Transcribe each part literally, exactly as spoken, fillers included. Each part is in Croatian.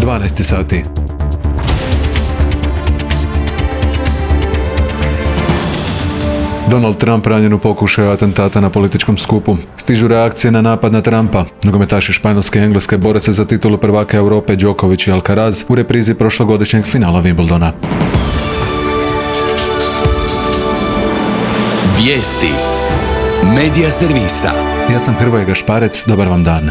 dvanaest sati. Donald Trump ranjen u pokušaju atentata na političkom skupu. Stižu reakcije na napad na Trumpa. Nogometaši Španjolske i Engleske bore se za titulu prvaka Europe Djokovic i Alcaraz u reprizi prošlogodišnjeg finala Wimbledona. Vijesti Medija servisa. Ja sam Hrvoje Gašparec, dobar vam dan.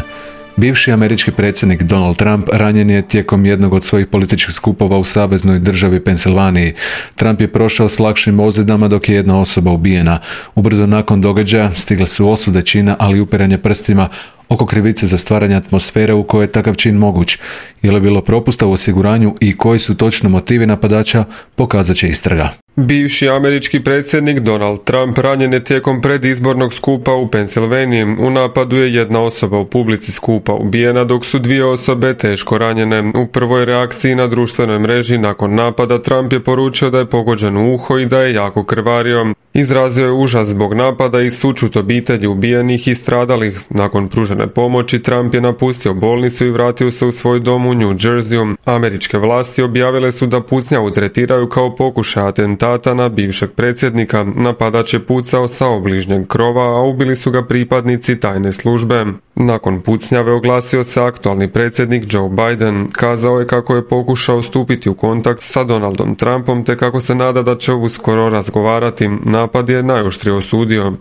Bivši američki predsjednik Donald Trump ranjen je tijekom jednog od svojih političkih skupova u saveznoj državi Pensilvaniji. Trump je prošao s lakšim ozljedama dok je jedna osoba ubijena. Ubrzo nakon događaja stigle su osude čina, ali i upiranje prstima oko krivice za stvaranje atmosfere u kojoj je takav čin moguć. Je li bilo propusta u osiguranju i koji su točno motivi napadača, pokazat će istraga. Bivši američki predsjednik Donald Trump ranjen je tijekom predizbornog skupa u Pensilvaniji. U napadu je jedna osoba u publici skupa ubijena, dok su dvije osobe teško ranjene. U prvoj reakciji na društvenoj mreži nakon napada Trump je poručio da je pogođen u uho i da je jako krvario. Izrazio je užas zbog napada i sućut obitelji ubijenih i stradalih. Nakon pružene pomoći Trump je napustio bolnicu i vratio se u svoj dom u New Jerseyu. Američke vlasti objavile su da pucnjavu tretiraju kao pokušaj atentata na bivšeg predsjednika. Napadač je pucao sa obližnjeg krova, a ubili su ga pripadnici tajne službe. Nakon pucnjave oglasio se aktualni predsjednik Joe Biden. Kazao je kako je pokušao stupiti u kontakt sa Donaldom Trumpom te kako se nada da će uskoro razgovarati. Napad je najoštrije osudio.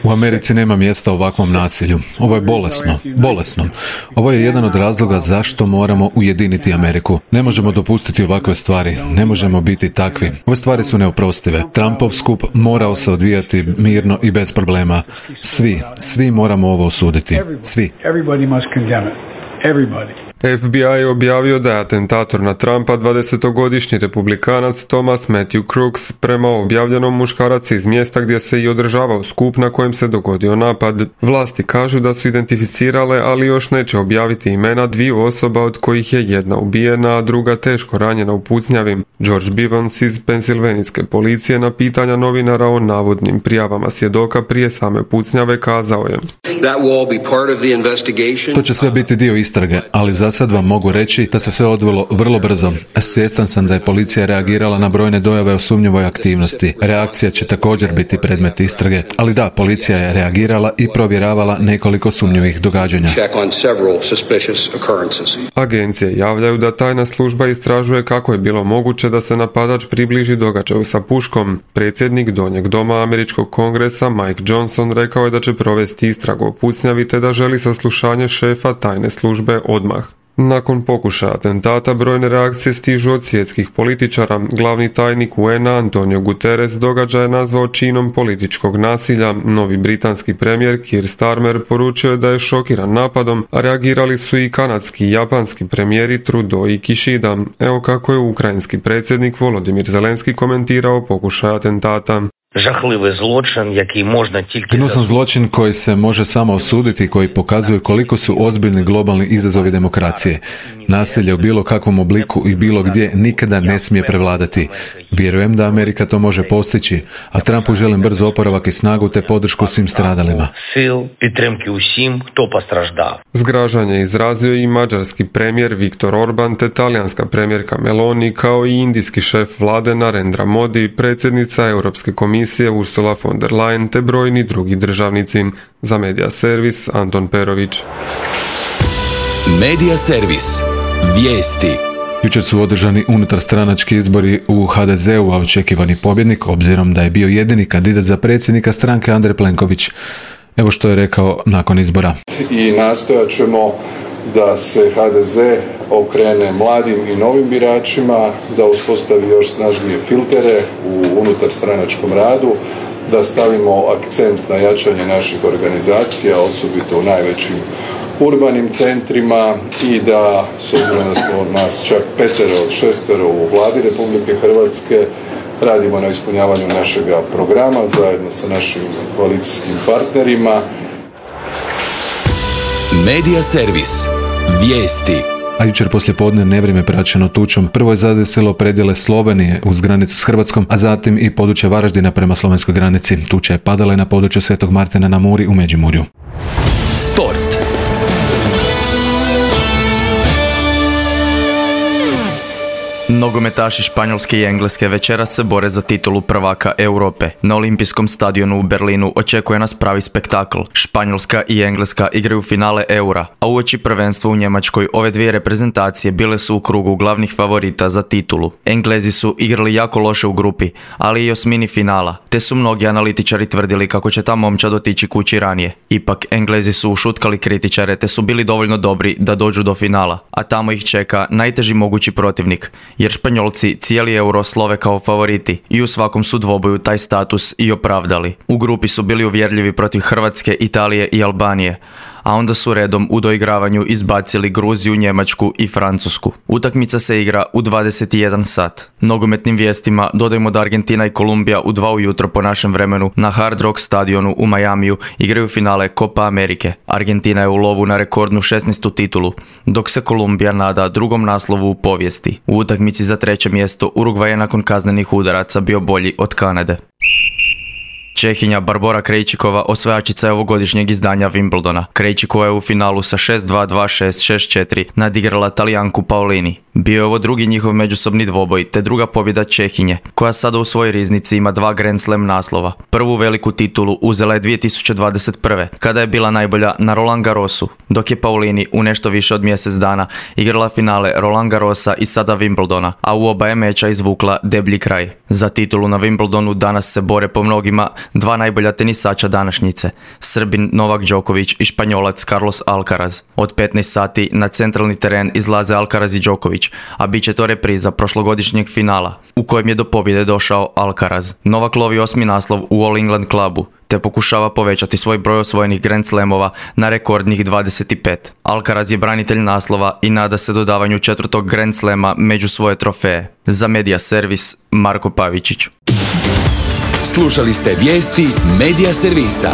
U Americi nema mjesta ovakvom nasilju. Ovo je bolesno, bolesno. Ovo je jedan od razloga zašto moramo ujediniti Ameriku. Ne možemo dopustiti ovakve stvari. Ne možemo biti takvi. Ove stvari su neoprostive. Trumpov skup morao se odvijati mirno i bez problema. Svi, svi moramo ovo osuditi. Svi. F B I je objavio da je atentator na Trumpa dvadesetogodišnji republikanac Thomas Matthew Crooks. Prema objavljenom, muškarac iz mjesta gdje se i održavao skup na kojem se dogodio napad. Vlasti kažu da su identificirale, ali još neće objaviti imena dviju osoba od kojih je jedna ubijena, a druga teško ranjena u pucnjavi. George Bivens iz pensilvanijske policije na pitanja novinara o navodnim prijavama svjedoka prije same pucnjave kazao je: To će sve biti dio istrage, ali za sad vam mogu reći da se sve odvilo vrlo brzo. Svjestan sam da je policija reagirala na brojne dojave o sumnjivoj aktivnosti. Reakcija će također biti predmet istrage, ali da, policija je reagirala i provjeravala nekoliko sumnjivih događanja. Agencije javljaju da tajna služba istražuje kako je bilo moguće da se napadač približi događaju sa puškom. Predsjednik Donjeg doma američkog kongresa Mike Johnson rekao je da će provesti istragu o pucnjavi te da želi saslušanje šefa tajne službe odmah. Nakon pokušaja atentata brojne reakcije stižu od svjetskih političara. Glavni tajnik U N A Antonio Guterres događaj je nazvao činom političkog nasilja. Novi britanski premijer Keir Starmer poručio je da je šokiran napadom, a reagirali su i kanadski i japanski premijeri Trudeau i Kishida. Evo kako je ukrajinski predsjednik Volodymyr Zelenski komentirao pokušaj atentata. Gnusan zločin koji se može samo osuditi i koji pokazuje koliko su ozbiljni globalni izazovi demokracije. Nasilje u bilo kakvom obliku i bilo gdje nikada ne smije prevladati. Vjerujem da Amerika to može postići, a Trumpu želim brz oporavak i snagu te podršku svim stradalima. Zgražanje izrazio i mađarski premijer Viktor Orban te talijanska premijerka Meloni kao i indijski šef vlade Narendra Modi, predsjednica Europske komisije Ursula von der Leyen te brojni drugi državnici. Za Medija servis Anton Perović. Medija servis. Vijesti. Jučer su održani unutarstranački izbori u H D Z-u, a očekivani pobjednik, obzirom da je bio jedini kandidat za predsjednika stranke Andrej Plenković. Evo što je rekao nakon izbora. I nastojat ćemo da se H D Z okrene mladim i novim biračima, da uspostavi još snažnije filtere u unutarstranačkom radu, da stavimo akcent na jačanje naših organizacija, osobito u najvećim urbanim centrima i da, s obzirom da smo nas čak petero od šestero u vladi Republike Hrvatske, radimo na ispunjavanju našega programa zajedno sa našim koalicijskim partnerima. Medija servis. Vijesti. A jučer poslijepodne nevrijeme praćeno tučom prvo je zadesilo predjele Slovenije uz granicu s Hrvatskom, a zatim i područje Varaždina prema slovenskoj granici. Tuča je padala i na području Svetog Martina na Muri u Međimurju. Sport. Nogometaši Španjolske i Engleske večeras se bore za titulu prvaka Europe. Na olimpijskom stadionu u Berlinu očekuje nas pravi spektakl. Španjolska i Engleska igraju finale Eura, a uoči prvenstva u Njemačkoj ove dvije reprezentacije bile su u krugu glavnih favorita za titulu. Englezi su igrali jako loše u grupi, ali i osmini finala, te su mnogi analitičari tvrdili kako će ta momčad otići kući ranije. Ipak, Englezi su ušutkali kritičare te su bili dovoljno dobri da dođu do finala, a tamo ih čeka najteži mogući protivnik, jer Španjolci cijeli Euro slove kao favoriti i u svakom su dvoboju taj status i opravdali. U grupi su bili uvjerljivi protiv Hrvatske, Italije i Albanije, a onda su redom u doigravanju izbacili Gruziju, Njemačku i Francusku. Utakmica se igra u dvadeset jedan sat. Nogometnim vijestima dodajmo da Argentina i Kolumbija u dva ujutro po našem vremenu na Hard Rock stadionu u Majamiju igraju finale Copa Amerike. Argentina je u lovu na rekordnu šesnaestu titulu, dok se Kolumbija nada drugom naslovu u povijesti. U utakmici za treće mjesto Urugvaj je nakon kaznenih udaraca bio bolji od Kanade. Čehinja Barbora Krejčikova osvajačica je ovogodišnjeg izdanja Wimbledona. Krejčikova je u finalu sa šest dva, dva šest, šest četiri nadigrala Talijanku Paolini. Bio je ovo drugi njihov međusobni dvoboj, te druga pobjeda Čehinje, koja sada u svojoj riznici ima dva Grand Slam naslova. Prvu veliku titulu uzela je dvije tisuće dvadeset prve. kada je bila najbolja na Roland Garrosu, dok je Paolini u nešto više od mjesec dana igrala finale Roland Garrosa i sada Wimbledona, a u oba je meča izvukla deblji kraj. Za titulu na Wimbledonu danas se bore po mnogima dva najbolja tenisača današnjice, Srbin Novak Đoković i Španjolac Carlos Alcaraz. Od petnaest sati na centralni teren izlaze Alcaraz i Đoković, a bit će to repriza prošlogodišnjeg finala, u kojem je do pobjede došao Alcaraz. Novak lovi osmi naslov u All England klubu, te pokušava povećati svoj broj osvojenih Grand Slamova na rekordnih dvadeset pet. Alcaraz je branitelj naslova i nada se dodavanju četvrtog Grand Slama među svoje trofeje. Za Media Servis, Marko Pavičić. Slušali ste vijesti Media Servisa.